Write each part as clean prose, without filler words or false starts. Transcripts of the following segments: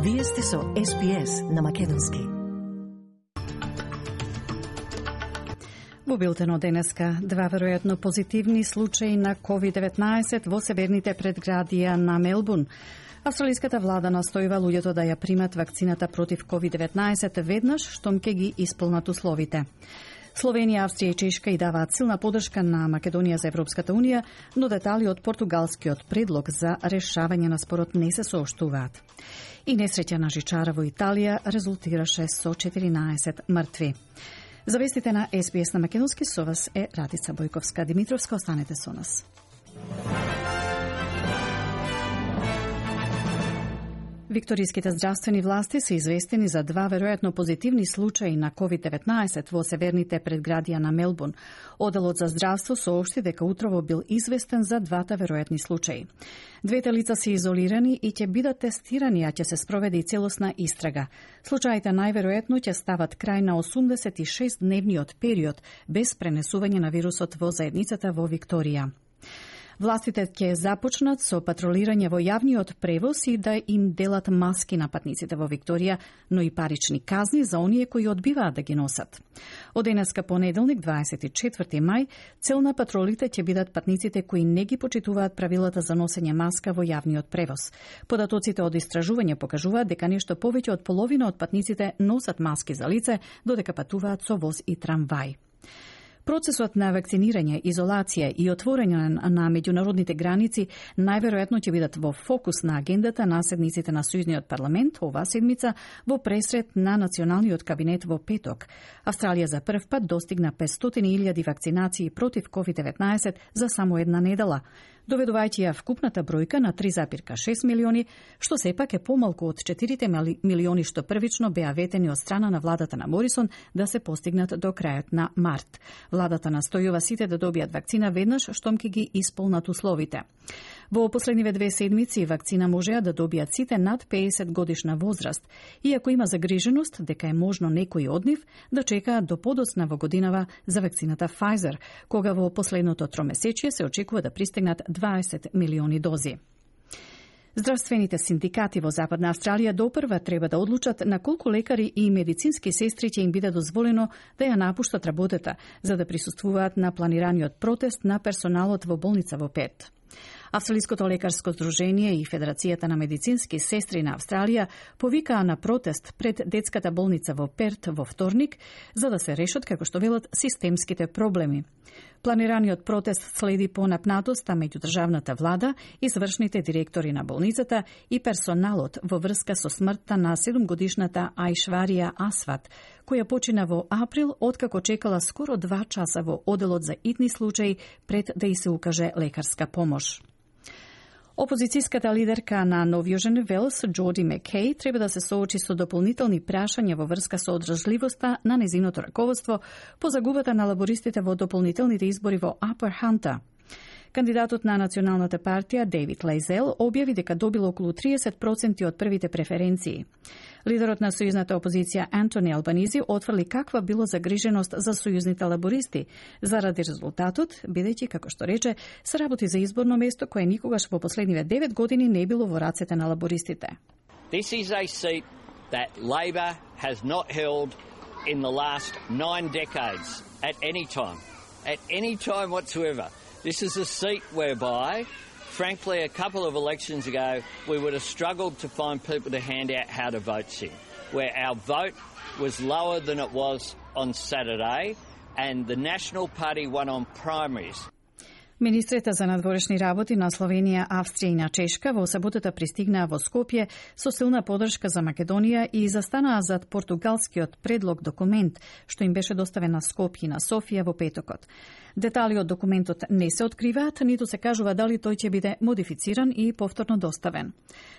Вие сте со СПС на македонски. Во билтенот денеска, два веројатно позитивни случаи на COVID-19 во северните предградија на Мелбурн. Австралиската влада настојува луѓето да ја примат вакцината против COVID-19 веднаш штом ќе ги исполнат условите. Словенија, Австрија и Чешка и даваат силна поддршка на Македонија за Европската унија, но детали од португалскиот предлог за решавање на спорот не се сооштуваат. И несреќа на жичара во Италија резултираше со 14 мртви. За вестите на СПС на македонски со вас е Радица Бојковска-Димитровска. Останете со нас. Викториските здравствени власти се известени за два веројатно позитивни случаи на COVID-19 во северните предградија на Мелбурн. Оделот за здравство соопшти дека утрово бил известен за двата веројатни случаи. Двете лица се изолирани и ќе бидат тестирани, а ќе се спроведе и целосна истрага. Случаите најверојатно ќе стават крај на 86-дневниот период без пренесување на вирусот во заедницата во Викторија. Властите ќе започнат со патролирање во јавниот превоз и да им делат маски на патниците во Викторија, но и парични казни за оние кои одбиваат да ги носат. Од денеска понеделник, 24 мај, цел на патролите ќе бидат патниците кои не ги почитуваат правилата за носење маска во јавниот превоз. Податоците од истражување покажуваат дека нешто повеќе од половина од патниците носат маски за лице, додека патуваат со воз и трамвај. Процесот на вакцинирање, изолација и отворање на меѓународните граници најверојатно ќе бидат во фокус на агендата на седниците на Сојузниот парламент оваа седмица во пресрет на Националниот кабинет во петок. Австралија за прв пат достигна 500.000 вакцинации против COVID-19 за само една недела, доведувајќи ја вкупната бројка на 3,6 милиони, што сепак е помалку од 4 милиони што првично беа ветени од страна на владата на Морисон да се постигнат до крајот на март. Владата настојува сите да добијат вакцина веднаш штом ќе ги исполнат условите. Во последниве 2 седмици вакцина можеа да добијат сите над 50 годишна возраст, иако има загриженост дека е можно некои од нив да чекаат до подоцна во годинава за вакцината Pfizer, кога во последното тромесечие се очекува да пристигнат 20 милиони дози. Здравствените синдикати во Западна Австралија допрва треба да одлучат на колку лекари и медицински сестри ќе им биде дозволено да ја напуштат работата, за да присуствуваат на планираниот протест на персоналот во болница во Перт. Австралиското лекарско здружение и Федерацијата на медицински сестри на Австралија повикаа на протест пред детската болница во Перт во вторник, за да се решат, како што велат, системските проблеми. Планираниот протест следи по напнатоста меѓу државната влада, извршните директори на болницата и персоналот во врска со смртта на 7-годишната Аишварија Асват, која почина во април, откако чекала скоро 2 часа во оделот за итни случаи пред да ѝ се укаже лекарска помош. Опозицијската лидерка на Нов Јужен Велс, Джоди Маккей, треба да се соочи со дополнителни прашања во врска со одржливоста на незиното раководство по загубата на лабористите во дополнителните избори во Upper Hunter. Кандидатот на Националната партија, Дейвид Лейзел, објави дека добил околу 30% од првите преференции. Лидерот на сојузната опозиција Антони Албанизи отфрли каква било загриженост за сојузните лабористи заради резултатот, бидејќи, како што рече, се работи за изборно место кое никогаш во последниве 9 години не било во рацете на лабористите. This is a seat that Labor has not held in the last 9 decades at any time whatsoever. This is a seat whereby, frankly, a couple of elections ago, we would have struggled to find people to hand out how to vote in, where our vote was lower than it was on Saturday, and the National Party won on primaries. Министрите за надворешни работи на Словенија, Австрија и на Чешка во саботата пристигнаа во Скопје со силна поддршка за Македонија и застанаа зад португалскиот предлог документ, што им беше доставен на Скопје и на Софија во петокот. Детали од документот не се откриваат, ниту се кажува дали тој ќе биде модифициран и повторно доставен.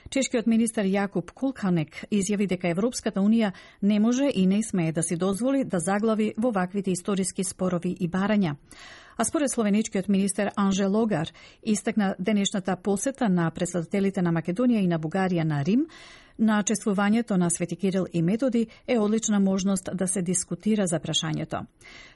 Чешкиот министер Јакуб Кулканек изјави дека Европската унија не може и не смее да си дозволи да заглави во ваквите историски спорови и барања. А според словеничкиот министер Анже Логар, истакна денешната посета на председателите на Македонија и на Бугарија на Рим, на чествувањето на Свети Кирил и Методи е одлична можност да се дискутира за прашањето.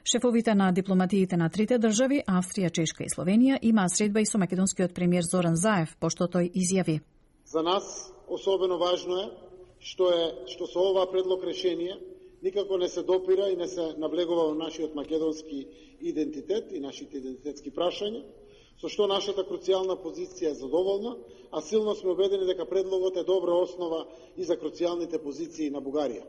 Шефовите на дипломатиите на трите држави, Австрија, Чешка и Словенија, имаа средба и со македонскиот премиер Зоран Заев, пошто тој изјави: За нас особено важно е што со ова предлог решение никако не се допира и не се наблегува во нашиот македонски идентитет и нашите идентитетски прашања, со што нашата круцијална позиција е задоволна, а силно сме убедени дека предлогот е добра основа и за круцијалните позиции на Бугарија.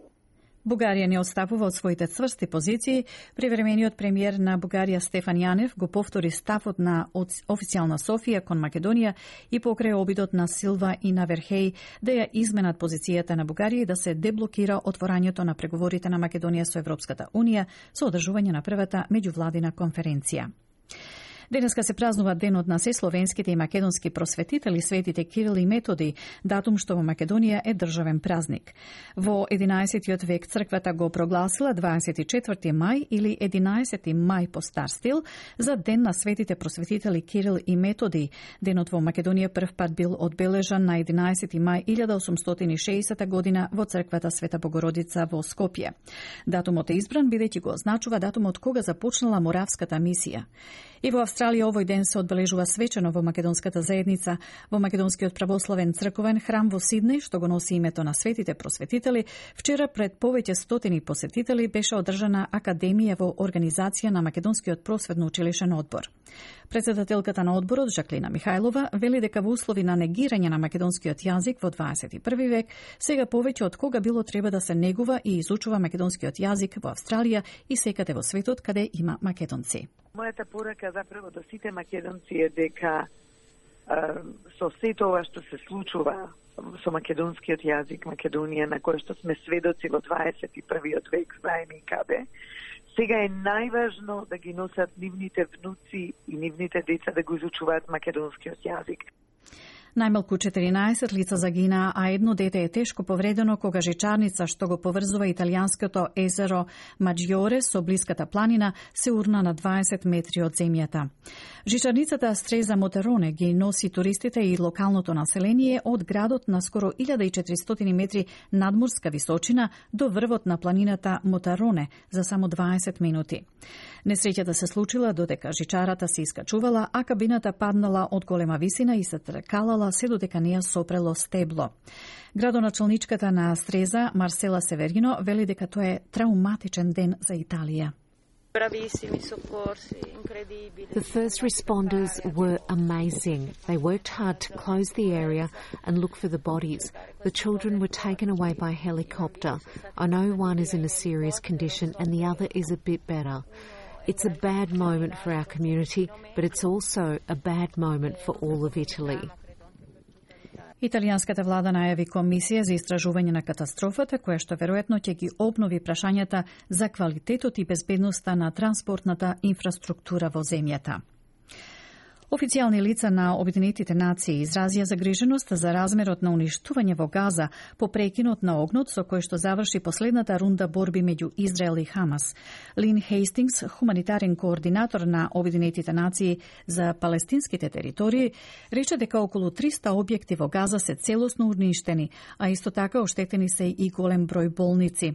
Бугарија не отстапува од своите цврсти позиции. Привремениот премиер на Бугарија Стефан Јанев го повтори ставот на официјална Софија кон Македонија и покрај обидот на Силва и на Верхеј да ја изменат позицијата на Бугарија и да се деблокира отворањето на преговорите на Македонија со Европската Унија со одржување на првата меѓувладина конференција. Денеска се празнува денот на сесловенските и македонски просветители светите Кирил и Методи, датум што во Македонија е државен празник. Во 11. век црквата го прогласила 24. мај или 11. мај по стар стил за ден на светите просветители Кирил и Методи. Денот во Македонија прв пат бил одбележан на 11. мај 1860 година во црквата Света Богородица во Скопје. Датумот е избран бидејќи го означува датумот кога започнала Моравската мисија. И во Австралија овој ден се одбележува свечено во македонската заедница. Во Македонскиот православен црковен храм во Сиднеј, што го носи името на светите просветители, вчера пред повеќе стотини посетители беше одржана академија во организација на Македонскиот просветно училишен одбор. Председателката на одборот Жаклина Михајлова вели дека во услови на негирање на македонскиот јазик во 21 век, сега повеќе од кога било треба да се негува и изучува македонскиот јазик во Австралија и секаде во светот каде има македонци. Мојата порака заправо до сите македонци е дека со се тоа што се случува со македонскиот јазик, Македонија, на кој што сме сведоци во 21 век, знаеме и каде, сега е најважно да ги носат нивните внуци и нивните деца да го изучуваат македонскиот јазик. Најмалку 14 лица загинаа, а едно дете е тешко повредено кога жичарница што го поврзува италијанското езеро Маџјоре со блиската планина се урна на 20 метри од земјата. Жичарницата Стреза Мотароне ги носи туристите и локалното население од градот на скоро 1400 метри надморска височина до врвот на планината Мотароне за само 20 минути. Несреќата се случила додека жичарата се искачувала, а кабината паднала од голема висина и се тркалала се додека не ја сопрело стебло. Градоначалничката на Стреза, Марсела Северино, вели дека тоа е трауматичен ден за Италија. The first responders were amazing. They worked hard to close the area and look for the bodies. The children were taken away by helicopter. I know one is in a serious condition and the other is a bit better. It's a bad moment for our community, but it's also a bad moment for all of Italy. Италијанската влада најави комисија за истражување на катастрофата, која што веројатно ќе ги обнови прашањата за квалитетот и безбедноста на транспортната инфраструктура во земјата. Официјални лица на Обединетите нации изразија загриженост за размерот на уништување во Газа по прекинот на огнот со кој што заврши последната рунда борби меѓу Израел и Хамас. Лин Хейстингс, хуманитарен координатор на Обединетите нации за палестинските територии, рече дека околу 300 објекти во Газа се целосно уништени, а исто така оштетени се и голем број болници.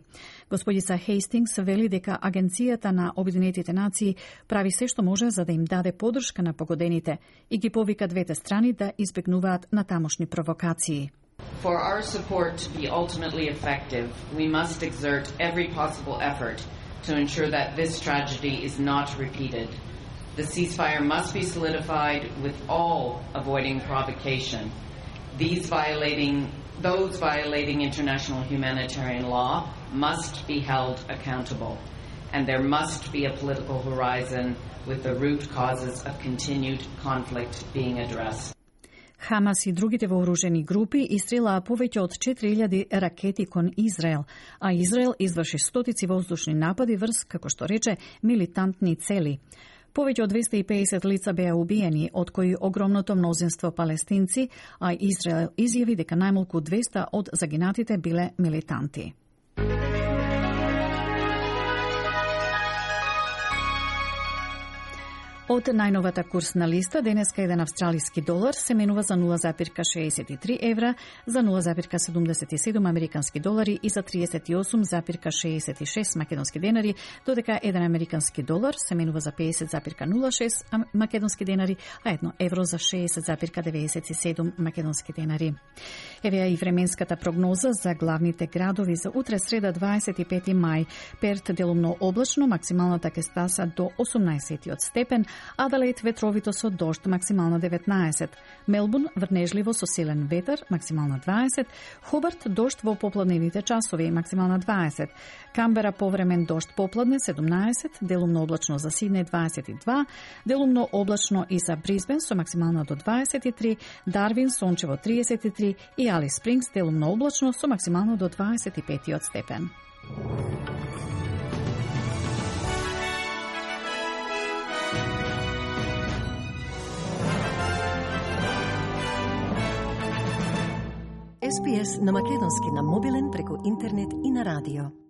Господица Хейстингс вели дека Агенцијата на Обединетите нации прави се што може за да им даде поддршка на погодените и ги повика двете страни да избегнуваат натамошни провокации. For our support to be ultimately effective, we must exert every possible effort to ensure that this tragedy is not repeated. The ceasefire must be solidified with all avoiding provocation. Those violating international humanitarian law must be held accountable. And there must be a political horizon with the root causes of continued conflict being addressed. Хамас и другите вооружени групи истрелаа повеќе од 4000 ракети кон Израел, а Израел изврши стотици воздушни напади врз, како што рече, милитантни цели. Повеќе од 250 лица беа убиени, од кои огромното мнозинство палестинци, а Израел изјави дека најмалку 200 од загинатите биле милитанти. Од најновата курсна листа, денеска еден австралиски долар се менува за 0,63 евра, за 0,77 американски долари и за 38,66 македонски денари, додека еден американски долар се менува за 50,06 македонски денари, а едно евро за 60,97 македонски денари. Еве и временската прогноза за главните градови за утре среда 25 мај. Перт делумно облачно, максималната ќе стаса до 18 степен, Аделаид ветровито со дожд, максимално 19. Мелбурн врнежливо со силен ветер, максимално 20. Хобарт дожд во попладневните часови, максимално 20. Камбера повремен дожд попладне 17, делумно облачно за Сиднеј 22, делумно облачно и за Брисбен со максимално до 23, Дарвин сончево 33 и Алис Спрингс делумно облачно со максимално до 25 степен. SPS на македонски на мобилен преку интернет и на радио.